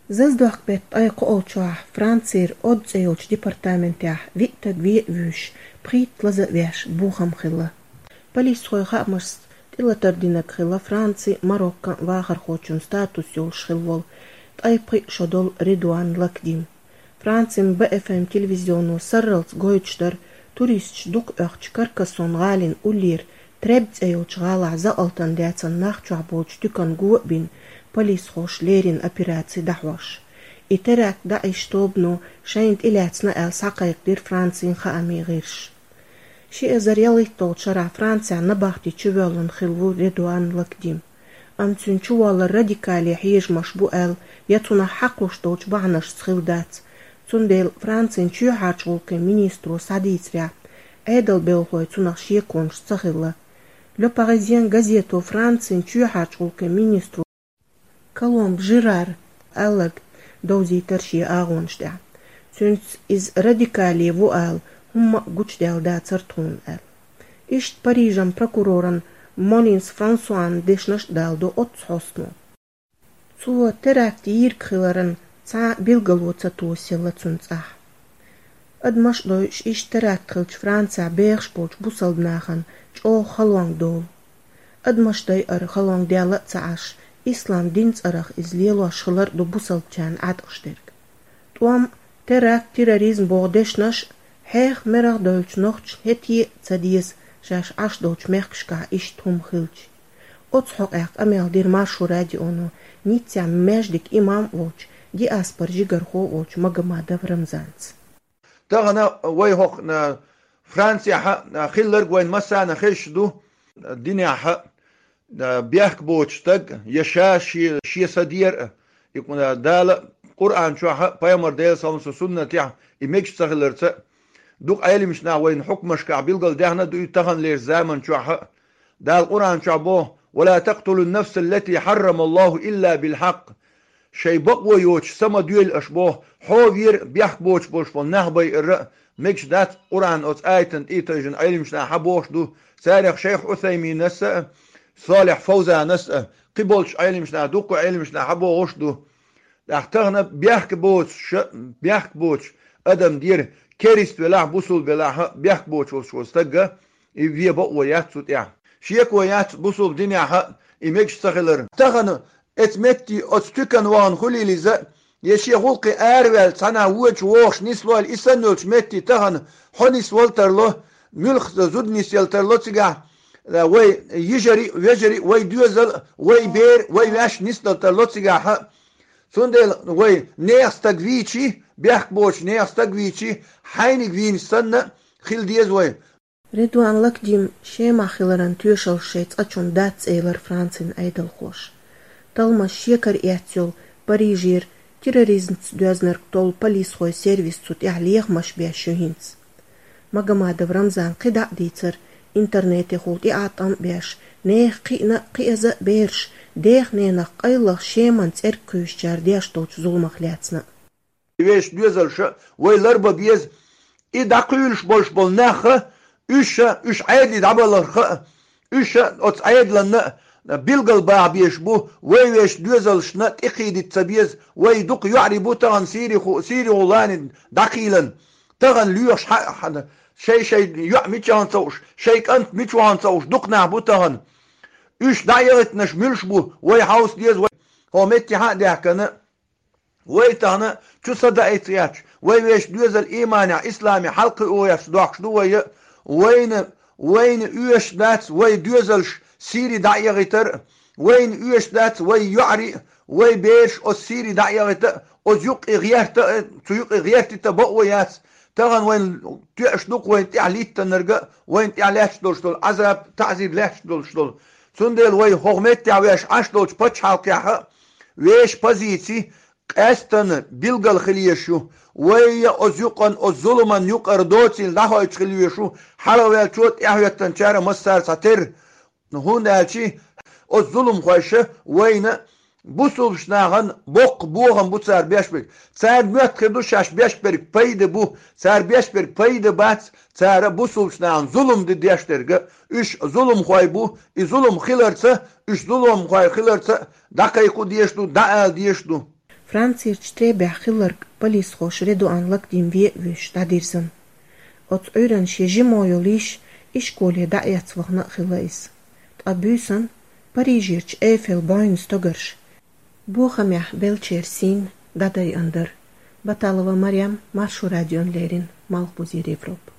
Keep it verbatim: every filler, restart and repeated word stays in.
Заздохк бетта ткъаь кхоалгӀачохь Францера Од цӀе йолчу департаментехь виъ стаг вен а вуьйш, пхийтта лаза а веш, бохам хилла. Полисхойн хаамашца, тӀелатар динарг хилла Францин, Мароккан вахархочун статус йолуш хилла волу ткъаь пхиъ шо долу Редуан Лакдим. Францин Б Ф М телевизионо сарралц гойтуш дара, туристаш дукха оьхучу Каркасон гӀалин уллера Треб цӀе йолчу гӀалахь закъалтан дацан нах чохь болчу туьканна го а бина, полисхоша леррина операци дӀахьош. И теракт даӀиш тобано шайна тӀелаьцна аьлла схьакхайкхадира Францин хаамийн гӀирсаша. Ши эзар ялхитталгӀачу шарахь Францехь набахти чувоьллина хилла ву Редуан Лакдим. Амма цуьнан чуволлар радикале хьежамаш бу аьлла, я цунах хьакхуш долчу бахьанашца хилла дац. Цундела Францин чоьхьарчу гӀуллакхийн министро схьадийцарехь, Ӏедалан белхалой цунах шеконаш ца хилла. Le Parisien газето Францин чоьхьарчу гӀуллакхийн министро Коломб Жерара аьлларг довзийтира шен агӀонаш тӀехь. Цуьнца иза радикале ву ала хӀумма а гучудаьлла дацара тхуна аьлла. Иштта Парижан прокуроран Молинс Франсуан дешнаш а даладо оццу хьостано. Цо теракт йийриг хиларан цхьа а билгало ца тосаелла цуьнан цӀахь. Адамаш а дойуш, иштта теракт хиллачу Францехь бехаш болчу бусалба нахана чӀогӀа халонга долу. Адамаш дайар халонга даьлла а ца Ӏаш, ислам дин цӀарах иза лелош хилар а ду бусалбачарна Ӏаткъаш дерг. ТӀом, теракт, терроризм боху дешнаш а, хьеха мерах а дойлучу нохчашна хӀетте а ца деза, шаьш Ӏаш долчу мехкашкахь иштта хӀума хилча. Оцу хьокъехь къамел дира Маршо радионо Ниццехь маьждиг имам а волчу, диаспоран жигархо а волчу Магомадов Рамзанца. Тахана вай хӀокху, а, Францехь, а, хилларг вайн массарна хезаш ду, а, динехь, а, бехк боцу стаг, я ша шен, шен са дера, а, и, а, Дала Къуръан чохь а, пайхамар Делан салам цу суннатехь и мегаш ца хиларца а, дукха Ӏеламчу наха вайна хьукмашкахь билгалдаьхна а ду и таханлерчу заман чохь а. Дала Къуръан чохь боху: «Ва ла такътулун нафсал лати хьаррамаллаху илла бил хьакъ». Шайн бакъо йоцуш са ма доьлла аша боху, хьо вера бехк боцуш болуш болу нах байар а мегаш дац, Къуръан оцу аятан тӀе а тайжина Ӏеламчу наха хьан бохуш ду, царах шайх Ӏусайминас а, Солихь Фовзанас а, кхин болчу Ӏеламчу наха, дуккха Ӏеламчу наха хьан бохуш ду. ТӀаккха тахана бехк боцуш, бехк боцуш адам дера, керист велахь, бусул велахь, бехк боцуш волуш волу стагга, и вен бакъо яц цу тӀехь. Шеко яц бусул динехь и мегаш ца хилар. Тахана эцу метте оцу туькан вахана хуьлийла иза, я шен гӀуллакхе араваьлла цхьана вочу вогӀуш нислойла, и санна йолчу метте тахана хьо нисвала тарло, муьлхха зуда нисъяла тарло цигахь, вай йижари а, вежари а, вай доьзал а, вай бер а, вай ваьш нисдала тарло цигахь. Цундела вай нехан стаг вийчи, бехк боцуш нехан стаг вийчи, хьайниг вийна санна хила деза вай. Редуан Лакдим Шемахь хиларан тоьшаллаш шайн цӀачунна дац, элира Францин Ӏедалхоша. Талламаш шекара эцна йолу Парижера терроризмца доьзнарг толу полисхойн сервис цу тӀехь лехамаш беш ю хӀинца. Магомадов Рамзана кхидӀа а дийцира, интернетехула тӀеӀаткъам а беш, нехан кхиъна а, кхиаза а бераш, дех-ненах къайлаха Шеман цӀерга кхуьйсучара деш долчу зуламах лаьцна а. Вешан доьзалша вай ларба беза, и дӀакхуьйлуш болуш болу нах а, уьш а, уьш Ӏедале дӀабаларх а, уьш а оцу Ӏедална а билгал баха безаш бу, вай вешан доьзалшна тӀекхийдита ца беза, вай дукха йоӀарий бу тахана Сириху-, Сирихулани дӀакхийлан. Тахана лоьхуш хьа-, хьа-, шай-шай йоӀ мичахьана ца хууш, шай кӀант мичахьана ца хууш, дукха нах бу тахана. Уьш дӀа а яхийтинарш муьлш бу, вай хьовса деза, вай хӀокху метте хьа а даьхкина, вай тахана чу са даийта гӀерташ, вай вешан доьзал ийманехь, исламехь хьалакхуьуш дохкуш ду вай, вайна, вайна оьшуш дац вай доьзалш Сири дӀа а яхийтар, вайна оьшуш дац вай йоӀарий, вай бераш оцу Сири дӀа а яхийта, оцу юккъе гӀерта, цу юккъе гӀертийта бакъо яц. Тахана вайна тоьаш ду-кх вайна тӀехь литтанарг а, вайна тӀехь лаьтташ долуш долу Ӏазап, таӀзир лаьтташ долуш долу. Цундела вай хӀокху меттехь веш Ӏаш долчу пачхьалкхехь а, вешан позици къаьстина билгал хила езаш ю. Вай а оцу юкъан, оцу зуламан юкъара доцийла дӀахойтуш хила везаш ву, хьалхаваьллачо а, тӀаьхьахӀоьттинчара а массара а цхьатерра. ХӀунда аьлча оцу зуламхойша вайна бусулбачу нахана боккха бохам бу цара беш берг. Цара моьтту хир ду шаьш беш берг пайда бу, цара беш берг пайда бац, цара бусулбачу нахана зулам дан деш дерг а. Уьш зуламхой бу, и зулам хиларца, уьш зуламхой хиларца дӀакхайкха дезаш ду, дӀаала дезаш ду. Францерчу Требехь хилларг полисхоша Редуан Лакдим вен а вуьйш дӀадирзина. Оцу Ӏуьйранна шен жимо йолу йиша ишколе дӀаэцна вахана а хилла иза. Ткъа буьйсанна Парижерчу Эйфел бӀойн стогарш бохамехь беллачеран сийна дӀадайъина дара. Баталова Марем, Маршо радиона леррина, Малхбузера Европа.